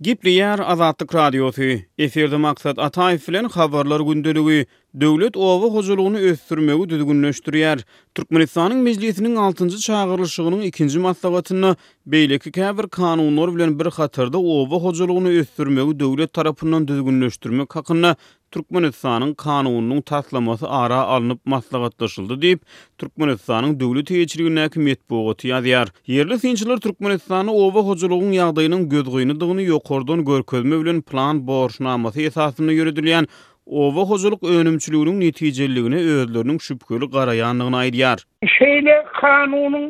Gepleýär Azatlyk Radiosy, Efirde Maksat Ataýew bilen Habarlar gündeligi, Döwlet oba hojalygyny ösdürmegi düzgünleşdirýär. Türkmenistanyň Mejlisiniň altynjy çagyrylyşygynyň ikinji maslahatynda beýleki käbir kanunlar bilen bir hatarda oba hojalygyny ösdürmegi döwlet tarapyndan düzgünleşdirmek hakynda Türkmenistanyň Kanunynyň taslamasy ara alnyp maslahatlaşyldy diýip, Türkmenistanyň döwlet eýeçiligindäki metbugaty ýazýar. Ýerli synçylar Türkmenistanda oba hojalygyň ýagdaýynyň gözgynydygyny ýokardan görkezme bilen plan borçnamasy esasynda ýöredilýän oba hojalyk önümçiliginiň netijeliligine özleriniň şübheli garaýandygyny aýdýar. Şeýle kanunyň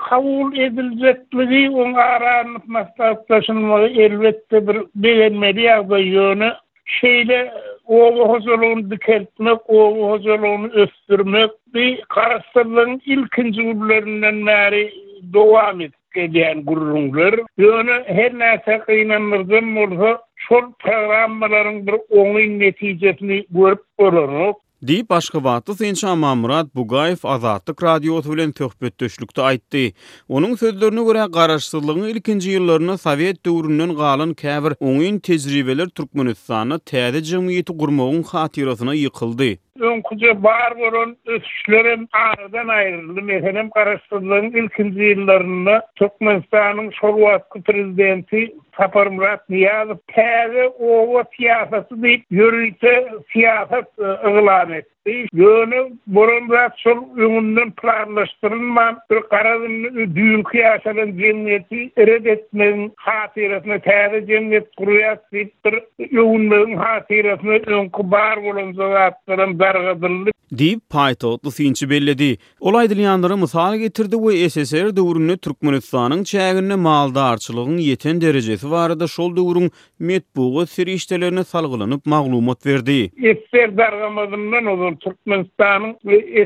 kabul ediljekdigi, oň ara alnyp maslahatlaşylmagy elbetde bir begenmeli ýagdaý, ýöne Şeýle oba hojalygyny dikeltmek, oba hojalygyny ösdürmek bi Garaşsyzlygyň ilkinji günlerinden bäri dowam edip gelýän gürrüňler. Ýöne her näçe gynandyryjam bolsa, şol programmalaryň bir oňyn netijesini görüp bolanok. Diýip, aşgabatly synçy Amanmyrat Bugaýew Azatlyk Radiosy bilen söhbetdeşlikde aýtdy. Onuň sözlerine görä, garaşsyzlygyň ilkinji ýyllarynda sowet döwründen galan käbir oňyn tejribeler Türkmenistanda täze jemgyýeti gurmagyň hatyrasyna ýykyldy. Öňküje bar bolan ösüşlerem aradan aýryldy. Meselem, garaşsyzlygyň ilkinji ýyllarynda Türkmenistanyň şol wagtky prezidenti Saparmyrat Nyýazow täze oba syýasaty diýip ýörite syýasat yglan etdi. Ýöne bolan zat şol öňünden planlaşdyrylman bir garaz indi düýnki ýaşalan jemgyýeti ret etmegiň hatyrasyna täze jemgyýet gurýas diýip bir öwünmegiň hatyrasyna öňki bar bolan zatlaram dargadyldy. Diýip, paýtagtly synçy belledi. Ol aýdylýanlara mysal getirdi we SSR döwründe Türkmenistanyň çäginde maldarçylygyň ýeten derejesi barada şol döwrüň metbugat serişdelerine salgylanyp maglumat berdi. SSR dargamazyndan ozal Türkmenistanyň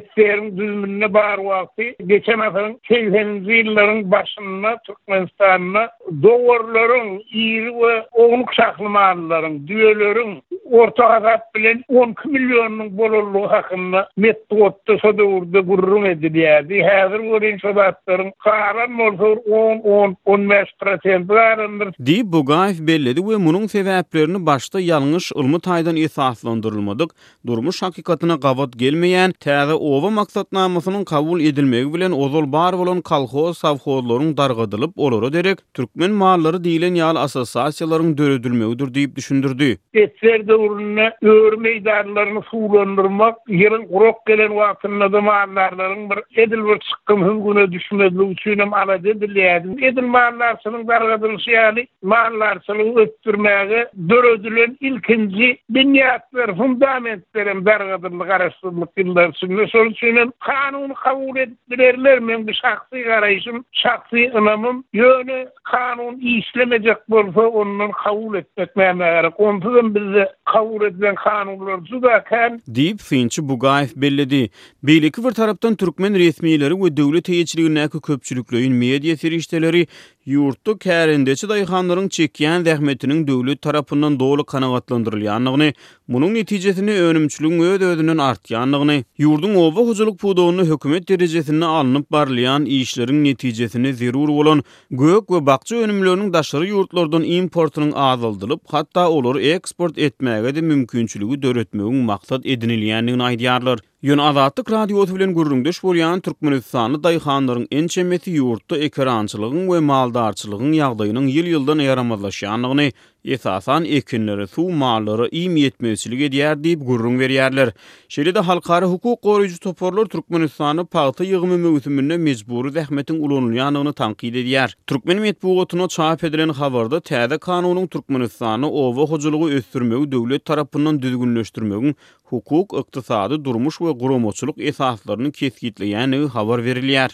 SSR-iň düzüminde bar wagty geçen asyryň segseninji ýyllaryň başynda Türkmenistanda Dowarlaryň, iri we ownuk şahly mallaryň, düýeleriň orta hasap bilen 12 millionynyň bolanlygy hakynda metbugatda şo döwürde gürrüň edilýärdi. Häzir welin şo zatlaryň galan bolsa bir on, on, on bäş prosenti galandyr. Diýip, Bugaýew belledi we munuň sebäplerini başda ýalňyş, ylmy taýdan esaslandyrylmadyk, durmuş hakykatyna gabat gelmeýän täze oba maksatnamasynyň kabul edilmegi bilen ozal bar bolan kolhoz-sowhozlaryň dargadylyp, olara derek türkmen mallary diýlen ýaly assosiasiýalaryň döredilmegidir diýip düşündirdi. Ssr döwründe öri meýdanlaryny suwlandyrmak, ýylyň gurak gelen wagtynda-da maldarlaryň bir edil bir çykgynsyz güne düşmezligi üçinem alada edilýärdi. Edil maldarçylygyň dargadylyşy ýaly, maldarçylygy ösdürmäge döredilen ilkinji binýatlar, fundamentler hem dargadyldy Garaşsyzlyk ýyllary içinde. Şonuň üçin hem kanuny kabul edip bilerler, meň bu şahsy garaýşym, şahsy ynamym. Ýöne kanun işlemejek bolsa, ondan kabul etmek nämä gerek? Onsuz hem bizde kabul edilen kanunlar juda kän. Diýip, synçy Bugaýew belledi. Beýleki bir tarapdan, türkmen resmileri we döwlet eýeçiligindäki köpçülikleýin media serişdeleri Ýurtda kärendeçi daýhanlaryň çekýän zähmetiniň döwlet tarapyndan doly kanagatlandyrylýandygyny, munuň netijesinde önümçiligiň öz-özünden artýandygyny, ýurduň oba hojalyk pudagynda hökümet derejesinde alnyp barylýan işleriň netijesinde zerur bolan gök we bakja önümleriniň daşary ýurtlardan importynyň azaldylyp, hatda olary eksport etmäge-de mümkinçiligi döretmegiň maksat edinilýändigini aýdýarlar. Ýöne Azatlyk Radiosy bilen gürrüňdeş bolýan türkmenistanly daýhanlaryň ençemesi ýurtda ekerançylygyň we maldarçylygyň ýagdaýynyň ýyl-ýyldan ýaramazlaşýandygyny, esasan, ekinlere suw, mallara iým ýetmezçilik edýär diýip gürrüň berýärler. Şeýle-de halkara hukuk goraýjy toparlar Türkmenistanda pagta ýygymy möwsüminde mejbury zähmetiň ulanylýandygyny tankyt edýär. Türkmen metbugatynda çap edilen habarda täze kanunyň Türkmenistanda oba hojalygy ösdürmegi döwlet tarapyndan düzgünleşdirmegiň hukuk, ykdysady, durmuş we guramaçylyk esaslaryny kesgitleýändigi habar berilýär.